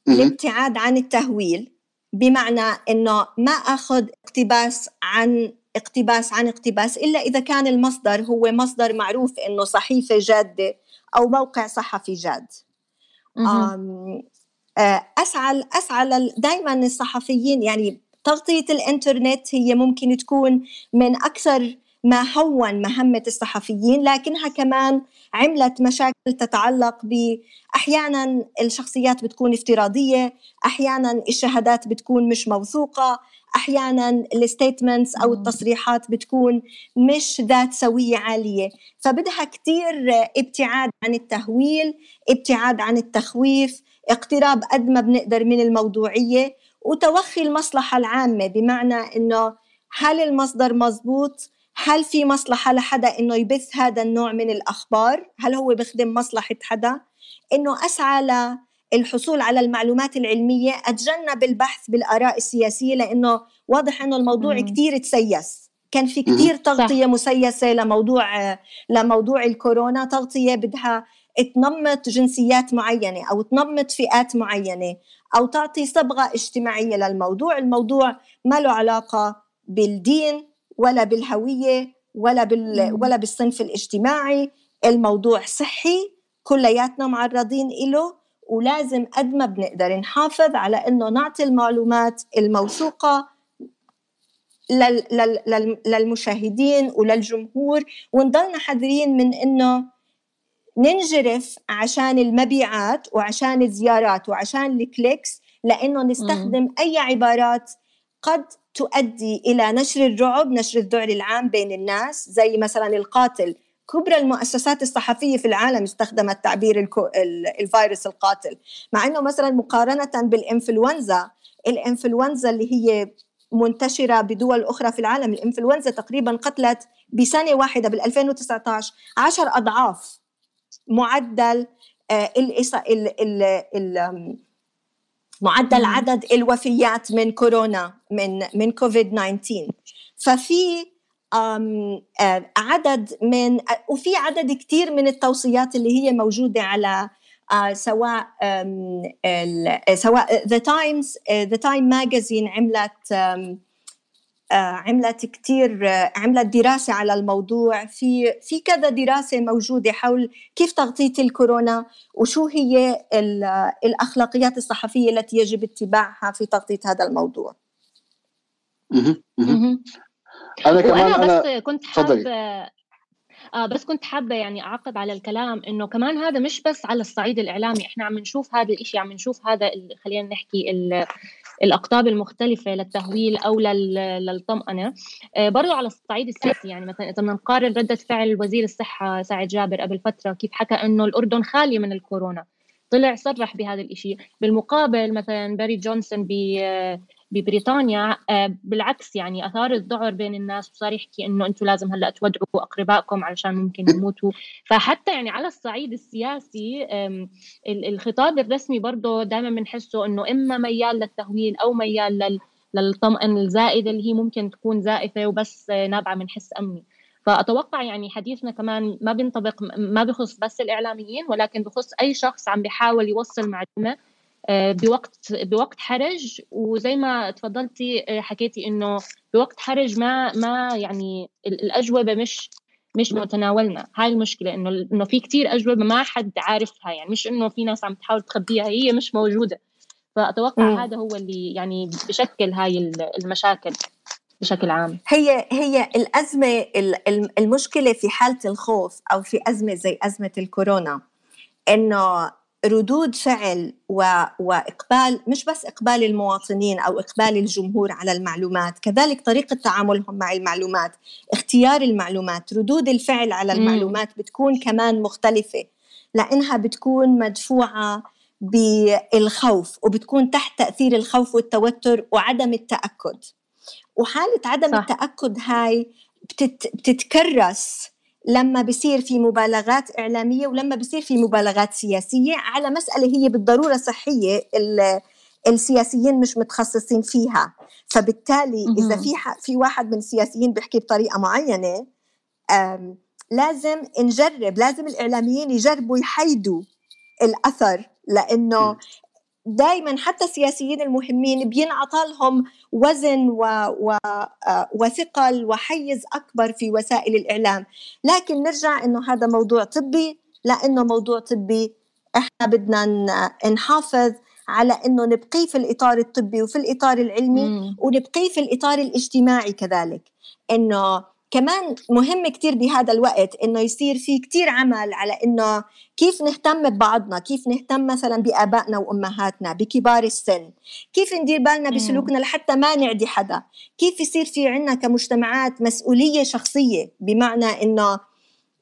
الابتعاد عن التهويل، بمعنى إنه ما أخذ اقتباس عن اقتباس إلا إذا كان المصدر هو مصدر معروف إنه صحيفة جادة أو موقع صحفي جاد. أسعى دايما الصحفيين، يعني تغطية الإنترنت هي ممكن تكون من أكثر ما هون مهمة الصحفيين، لكنها كمان عملت مشاكل تتعلق أحيانا الشخصيات بتكون افتراضية، أحيانا الشهادات بتكون مش موثوقة، أحيانا الستيتمنتس أو التصريحات بتكون مش ذات سوية عالية. فبدها كتير ابتعاد عن التهويل، ابتعاد عن التخويف، اقتراب قد ما بنقدر من الموضوعية، وتوخي المصلحة العامة، بمعنى إنه هل المصدر مزبوط؟ هل في مصلحة لحدا إنه يبث هذا النوع من الأخبار؟ هل هو بخدم مصلحة حدا؟ إنه أسعى للحصول على المعلومات العلمية، أتجنب البحث بالآراء السياسية، لأنه واضح إنه الموضوع كتير تسيس، كان في كتير تغطية مسيسة لموضوع الكورونا، تغطية بدها تنمط جنسيات معينة أو تنمط فئات معينة أو تعطي صبغة اجتماعية للموضوع. الموضوع ما له علاقة بالدين ولا بالهوية ولا بالصنف الاجتماعي، الموضوع صحي كلياتنا معرضين إله، ولازم قد ما بنقدر نحافظ على إنه نعطي المعلومات الموثوقة للمشاهدين وللجمهور، ونضلنا حذرين من إنه ننجرف عشان المبيعات وعشان الزيارات وعشان الكليكس، لأنه نستخدم أي عبارات قد تؤدي إلى نشر الرعب، نشر الذعر العام بين الناس، زي مثلا القاتل. كبرى المؤسسات الصحفية في العالم استخدمت تعبير الفيروس القاتل، مع أنه مثلا مقارنة بالإنفلونزا، الإنفلونزا اللي هي منتشرة بدول أخرى في العالم، الإنفلونزا تقريبا قتلت بسنة واحدة بال2019 10 أضعاف معدل معدل عدد الوفيات من كورونا من كوفيد 19. ففي وفي عدد كتير من التوصيات اللي هي موجودة على سواء The Time Magazine عملت دراسة على الموضوع، في كذا دراسة موجودة حول كيف تغطية الكورونا وشو هي الأخلاقيات الصحفية التي يجب اتباعها في تغطية هذا الموضوع. أنا كمان بس كنت بس كنت حابة يعني أعقب على الكلام إنه كمان هذا مش بس على الصعيد الإعلامي، إحنا عم نشوف هذا الإشي، عم نشوف هذا خلينا نحكي الأقطاب المختلفة للتهويل أو للطمأنة برضو على الصعيد السياسي. يعني مثلا إذا بدنا نقارن ردة فعل وزير الصحة سعد جابر قبل فترة كيف حكى إنه الأردن خالية من الكورونا، طلع صرح بهذا الإشي. بالمقابل مثلا باري جونسون ببريطانيا بالعكس يعني أثار الذعر بين الناس وصار يحكي إنه أنتم لازم هلأ تودعوا أقربائكم علشان ممكن يموتوا. فحتى يعني على الصعيد السياسي الخطاب الرسمي برضه دائما بنحسه إنه إما ميال للتهويل أو ميال للطمأن الزائدة اللي هي ممكن تكون زائفة وبس نابعة من حس أمني. فأتوقع يعني حديثنا كمان ما بينطبق، ما بخص بس الإعلاميين ولكن بخص أي شخص عم بيحاول يوصل معلومة بوقت حرج. وزي ما تفضلتي حكيتي إنه بوقت حرج ما يعني الأجوبة مش متناولنا. هاي المشكلة إنه في كتير أجوبة ما حد عارفها، يعني مش إنه في ناس عم تحاول تخبيها، هي مش موجودة. فأتوقع هذا هو اللي يعني بشكل هاي المشاكل بشكل عام. هي الأزمة، المشكلة في حالة الخوف أو في أزمة زي أزمة الكورونا إنه ردود فعل وإقبال، مش بس إقبال المواطنين أو إقبال الجمهور على المعلومات، كذلك طريقة تعاملهم مع المعلومات، اختيار المعلومات، ردود الفعل على المعلومات بتكون كمان مختلفة لأنها بتكون مدفوعة بالخوف وبتكون تحت تأثير الخوف والتوتر وعدم التأكد. وحالة عدم التأكد هاي بتتكرس لما بيصير في مبالغات إعلامية ولما بيصير في مبالغات سياسية على مسألة هي بالضرورة صحية السياسيين مش متخصصين فيها. فبالتالي إذا في واحد من السياسيين بيحكي بطريقة معينة لازم نجرب، لازم الإعلاميين يجربوا يحيدوا الأثر، لأنه دايما حتى السياسيين المهمين بينعطى لهم وزن وثقل وحيز أكبر في وسائل الإعلام. لكن نرجع إنه هذا موضوع طبي، لأنه موضوع طبي إحنا بدنا نحافظ على إنه نبقيه في الإطار الطبي وفي الإطار العلمي ونبقيه في الإطار الاجتماعي كذلك. إنه كمان مهم كتير بهذا الوقت إنه يصير في كتير عمل على إنه كيف نهتم ببعضنا، كيف نهتم مثلا بآبائنا وأمهاتنا، بكبار السن، كيف ندير بالنا بسلوكنا لحتى ما نعدي حدا، كيف يصير في عنا كمجتمعات مسؤولية شخصية، بمعنى إنه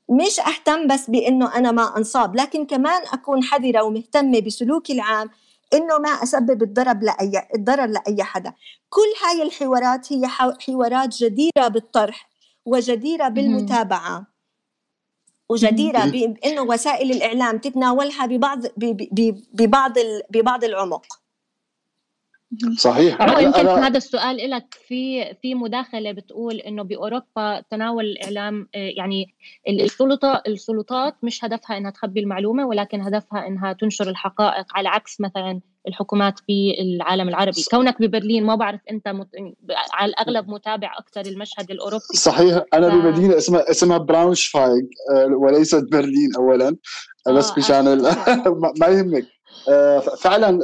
مش أهتم بس بإنه أنا ما أنصاب، لكن كمان أكون حذرة ومهتمة بسلوكي العام إنه ما أسبب الضرر لأي حدا. كل هاي الحوارات هي حوارات جديرة بالطرح وجديرة بالمتابعة وجديرة بأنه وسائل الإعلام تتناولها ببعض العمق. صحيح. يمكن هذا السؤال لك في مداخلة بتقول إنه بأوروبا تناول الإعلام يعني السلطات مش هدفها إنها تخبي المعلومة ولكن هدفها إنها تنشر الحقائق، على عكس مثلا الحكومات في العالم العربي. كونك ببرلين ما بعرف أنت على الأغلب متابع أكتر المشهد الأوروبي. صحيح. أنا بمدينة اسمها براونشفايغ وليست برلين أولا، بس مشان ما يهمك.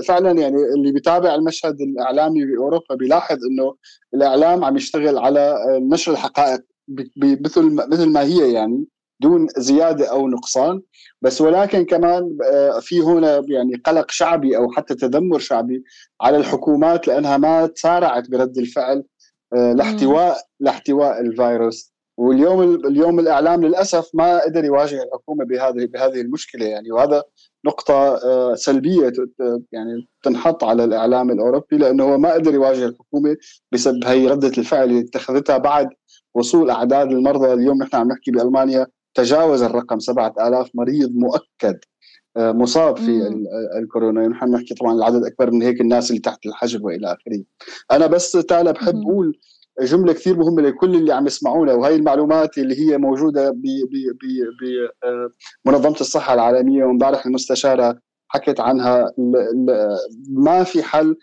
فعلا يعني اللي بيتابع المشهد الإعلامي بأوروبا بيلاحظ إنه الإعلام عم يشتغل على نشر الحقائق مثل ما هي، يعني دون زيادة أو نقصان. بس ولكن كمان في هنا يعني قلق شعبي أو حتى تذمر شعبي على الحكومات لأنها ما تسارعت برد الفعل لاحتواء الفيروس. واليوم الإعلام للأسف ما قدر يواجه الحكومة بهذه المشكلة يعني، وهذا نقطة سلبية يعني تنحط على الإعلام الأوروبي، لأنه هو ما قدر يواجه الحكومة بسبب هي ردة الفعل اللي اتخذتها بعد وصول أعداد المرضى. اليوم نحن عم نحكي بألمانيا تجاوز الرقم 7000 مريض مؤكد مصاب في الكورونا. نحن نحكي طبعا العدد أكبر من هيك الناس اللي تحت الحجر وإلى آخره. أنا بس تالا بحب أقول جملة كثير مهمة لكل اللي عم يسمعونا، وهي المعلومات اللي هي موجودة بمنظمة الصحة العالمية، ومبارح المستشارة حكت عنها. ما في حل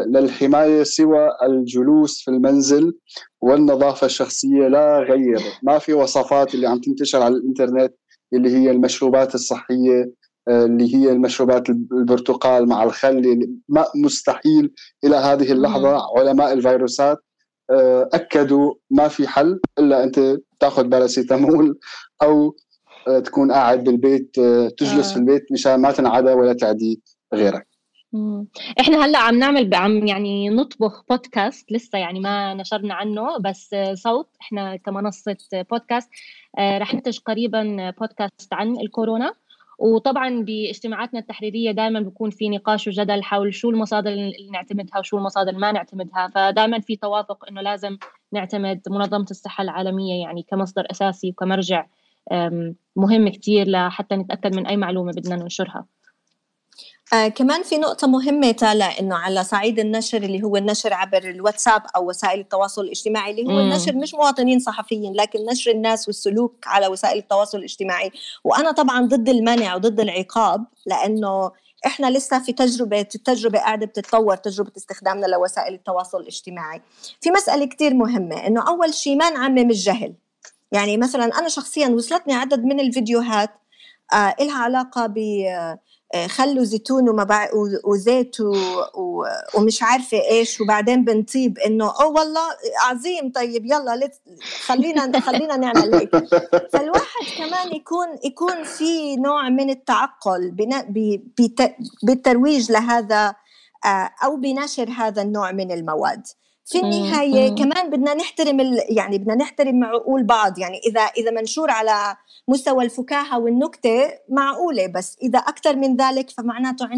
للحماية سوى الجلوس في المنزل والنظافة الشخصية لا غير. ما في وصفات اللي عم تنتشر على الإنترنت اللي هي المشروبات الصحية، اللي هي المشروبات البرتقال مع الخل. مستحيل إلى هذه اللحظة علماء الفيروسات أكدوا ما في حل إلا أنت تاخذ باراسيتامول أو تكون قاعد بالبيت، تجلس في البيت مشان ما تنعدى ولا تعدي غيرك. احنا هلا عم نعمل يعني نطبخ بودكاست، لسه يعني ما نشرنا عنه بس صوت. احنا كمنصة بودكاست رح ننتج قريبا بودكاست عن الكورونا، وطبعا باجتماعاتنا التحريرية دائما بيكون في نقاش وجدل حول شو المصادر اللي نعتمدها وشو المصادر اللي ما نعتمدها. فدائما في توافق انه لازم نعتمد منظمة الصحة العالمية يعني كمصدر اساسي وكمرجع مهم كتير لحتى نتأكد من اي معلومة بدنا ننشرها. كمان في نقطة مهمة طالع إنه على صعيد النشر اللي هو النشر عبر الواتساب أو وسائل التواصل الاجتماعي، اللي هو النشر مش مواطنين صحفيين لكن نشر الناس والسلوك على وسائل التواصل الاجتماعي. وأنا طبعا ضد المنع وضد العقاب، لأنه إحنا لسه في التجربة قاعدة بتتطور، تجربة استخدامنا لوسائل التواصل الاجتماعي. في مسألة كتير مهمة، إنه أول شيء ما نعمم الجهل. يعني مثلا أنا شخصيا وصلتني عدد من الفيديوهات إلها علاقة خلوا زيتون وزيت ومش عارفة إيش، وبعدين بنطيب إنه والله عظيم، طيب يلا خلينا نعمل هيك. فالواحد كمان يكون في نوع من التعقل بالترويج لهذا أو بنشر هذا النوع من المواد. في النهاية كمان بدنا نحترم يعني بدنا نحترم عقول بعض. يعني إذا منشور على مستوى الفكاهة والنكتة معقولة، بس إذا أكثر من ذلك فمعناته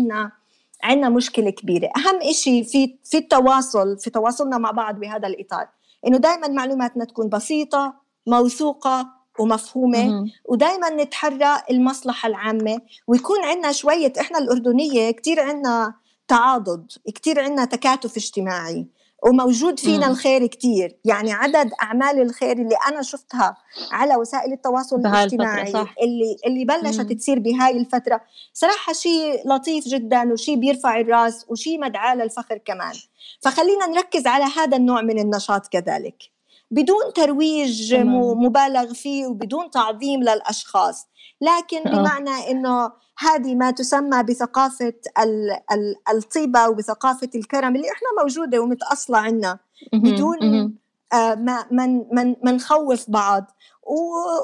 عنا مشكلة كبيرة. أهم إشي في تواصلنا مع بعض بهذا الإطار، إنه دايما معلوماتنا تكون بسيطة موثوقة ومفهومة، ودايما نتحرى المصلحة العامة، ويكون عنا شوية، إحنا الأردنية كتير عنا تعاضد، كتير عنا تكاتف اجتماعي، وموجود فينا الخير كتير. يعني عدد أعمال الخير اللي أنا شفتها على وسائل التواصل الاجتماعي اللي بلشت تصير بهاي الفترة صراحة شيء لطيف جدا، وشيء بيرفع الراس، وشيء مدعاة للفخر كمان. فخلينا نركز على هذا النوع من النشاط كذلك، بدون ترويج مبالغ فيه وبدون تعظيم للأشخاص، لكن بمعنى إنه هذه ما تسمى بثقافة الطيبة وبثقافة الكرم اللي إحنا موجودة ومتأصلة عنا، بدون ما نخوف بعض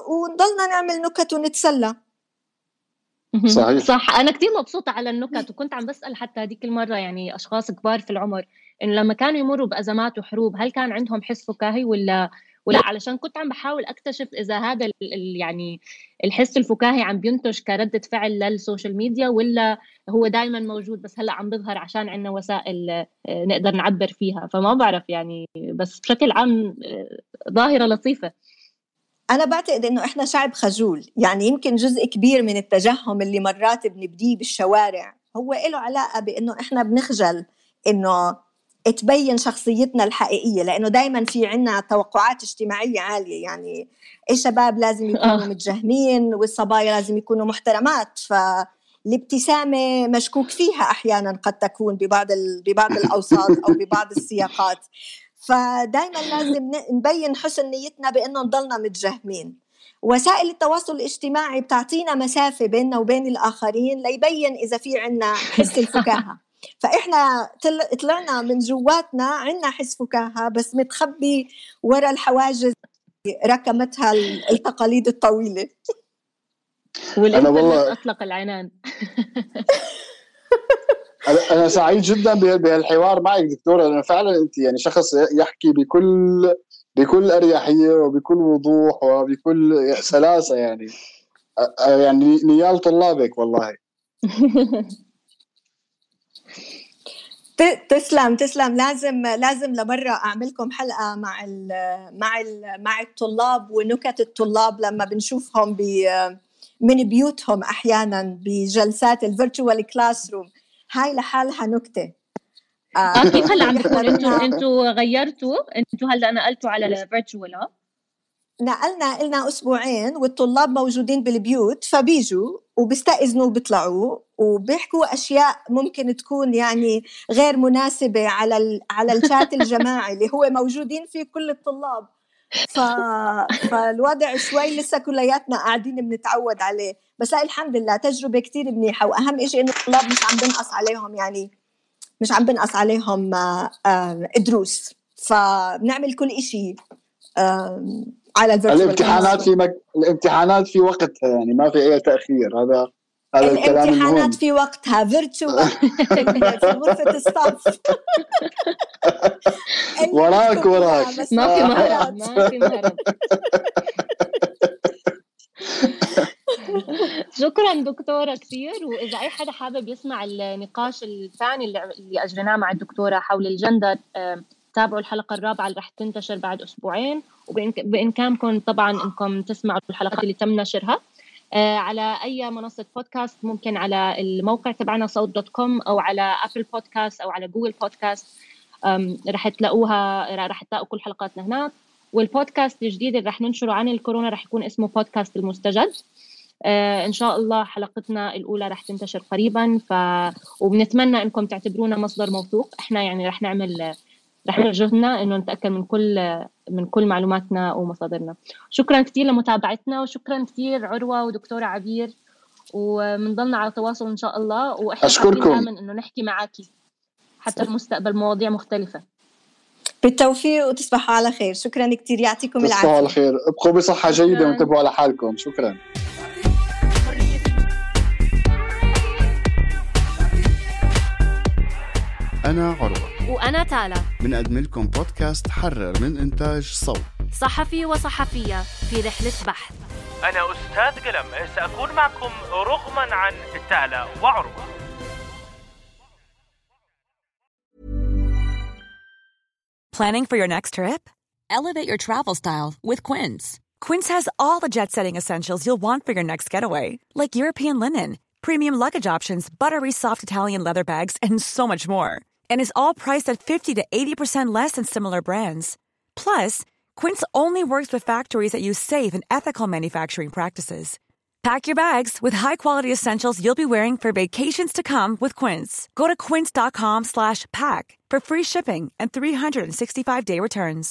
ونضلنا نعمل نكت ونتسلى. صح. أنا كتير مبسوطة على النكت، وكنت عم بسأل حتى هذيك المرة يعني أشخاص كبار في العمر إنه لما كانوا يمروا بأزمات وحروب هل كان عندهم حس فكاهي ولا علشان كنت عم بحاول أكتشف إذا هذا يعني الحس الفكاهي عم بينتج كردة فعل للسوشيال ميديا ولا هو دايما موجود بس هلأ عم بظهر عشان عنا وسائل نقدر نعبر فيها. فما بعرف يعني، بس بشكل عام ظاهرة لطيفة. أنا بعتقد إنه إحنا شعب خجول، يعني يمكن جزء كبير من التجهم اللي مرات بنبديه بالشوارع هو إله علاقة بإنه إحنا بنخجل إنه تبين شخصيتنا الحقيقية، لأنه دايما في عنا توقعات اجتماعية عالية. يعني الشباب لازم يكونوا متجهمين والصبايا لازم يكونوا محترمات، فالابتسامة مشكوك فيها أحيانا قد تكون ببعض الأوساط أو ببعض السياقات. فدايما لازم نبين حسن نيتنا بأنه نضلنا متجهمين. وسائل التواصل الاجتماعي بتعطينا مسافة بيننا وبين الآخرين ليبين إذا في عنا حس الفكاهة. فإحنا طلعنا من جواتنا عنا حس فكاهة بس متخبي وراء الحواجز ركمتها التقاليد الطويلة. والإنترنت أطلق العنان. أنا سعيد جدا بهالحوار معك دكتورة، لأنه فعلا أنت يعني شخص يحكي بكل أريحية وبكل وضوح وبكل سلاسة، يعني نيال طلابك والله. تسلم. لازم لمرة أعملكم حلقة مع الطلاب ونكت الطلاب لما بنشوفهم من بيوتهم أحيانا بجلسات الفيرتشوال كلاس روم. هاي لحالها نكتة. كيف هلا عم بيكون؟ انتوا غيرتوا، انتوا هلا نقلتوا على الفيرتشوال؟ نقلنا أسبوعين والطلاب موجودين بالبيوت، فبيجوا وبيستأذنوا وبيطلعوا وبيحكوا أشياء ممكن تكون يعني غير مناسبة على الشات الجماعي اللي هو موجودين فيه كل الطلاب. فالوضع شوي لسه كلياتنا قاعدين بنتعود عليه، بس الحمد لله تجربة كتير منيحة. وأهم إشي إنه الطلاب مش عم بنقص عليهم، يعني مش عم بنقص عليهم دروس، فبنعمل كل إشي على الامتحانات في وقتها، يعني ما في أي تأخير. هذا الكلام المهم. الامتحانات في وقتها فيرتشوال في غرفة الصف. وراك ما في مهرب. شكرا دكتورة كثير. وإذا أي حدا حابب يسمع النقاش الثاني اللي أجرناه مع الدكتورة حول الجندر، تابعوا الحلقة الرابعة اللي رح تنتشر بعد أسبوعين، وبإمكانكم طبعا إنكم تسمعوا الحلقات اللي تم نشرها على أي منصة بودكاست، ممكن على الموقع تبعنا صوت.com أو على أبل بودكاست أو على جوجل بودكاست. رح تلاقوا كل حلقاتنا هناك. والبودكاست الجديد اللي رح ننشره عن الكورونا رح يكون اسمه بودكاست المستجد. إن شاء الله حلقتنا الأولى رح تنتشر قريبا، وبنتمنى إنكم تعتبرونا مصدر موثوق. إحنا يعني رح نعمل جهدنا إنه نتأكد من كل معلوماتنا ومصادرنا. شكرا كتير لمتابعتنا، وشكرا كتير عروة ودكتورة عبير، ومنضلنا على تواصل إن شاء الله. وإحنا حابين إنه نحكي معاكي حتى المستقبل مواضيع مختلفة. بالتوفيق وتصبحوا على خير. شكرا كتير، يعطيكم العافية. تصبحوا على خير، ابقوا بصحة جيدة وانتبهوا على حالكم. شكرا. أنا عروة وأنا تالا، بنقدم لكم بودكاست حرر من إنتاج صوت، صحفي وصحفية في رحلة بحث. أنا أستاذ قلم، سأكون معكم رغما عن تالا وعروة. Planning for your next trip? Elevate your travel style with Quince. Quince has all the jet-setting essentials you'll want for your next getaway, like European linen, premium luggage options, buttery soft Italian leather bags, and so much more. And is all priced at 50 to 80% less than similar brands. Plus, Quince only works with factories that use safe and ethical manufacturing practices. Pack your bags with high-quality essentials you'll be wearing for vacations to come with Quince. Go to quince.com/pack for free shipping and 365-day returns.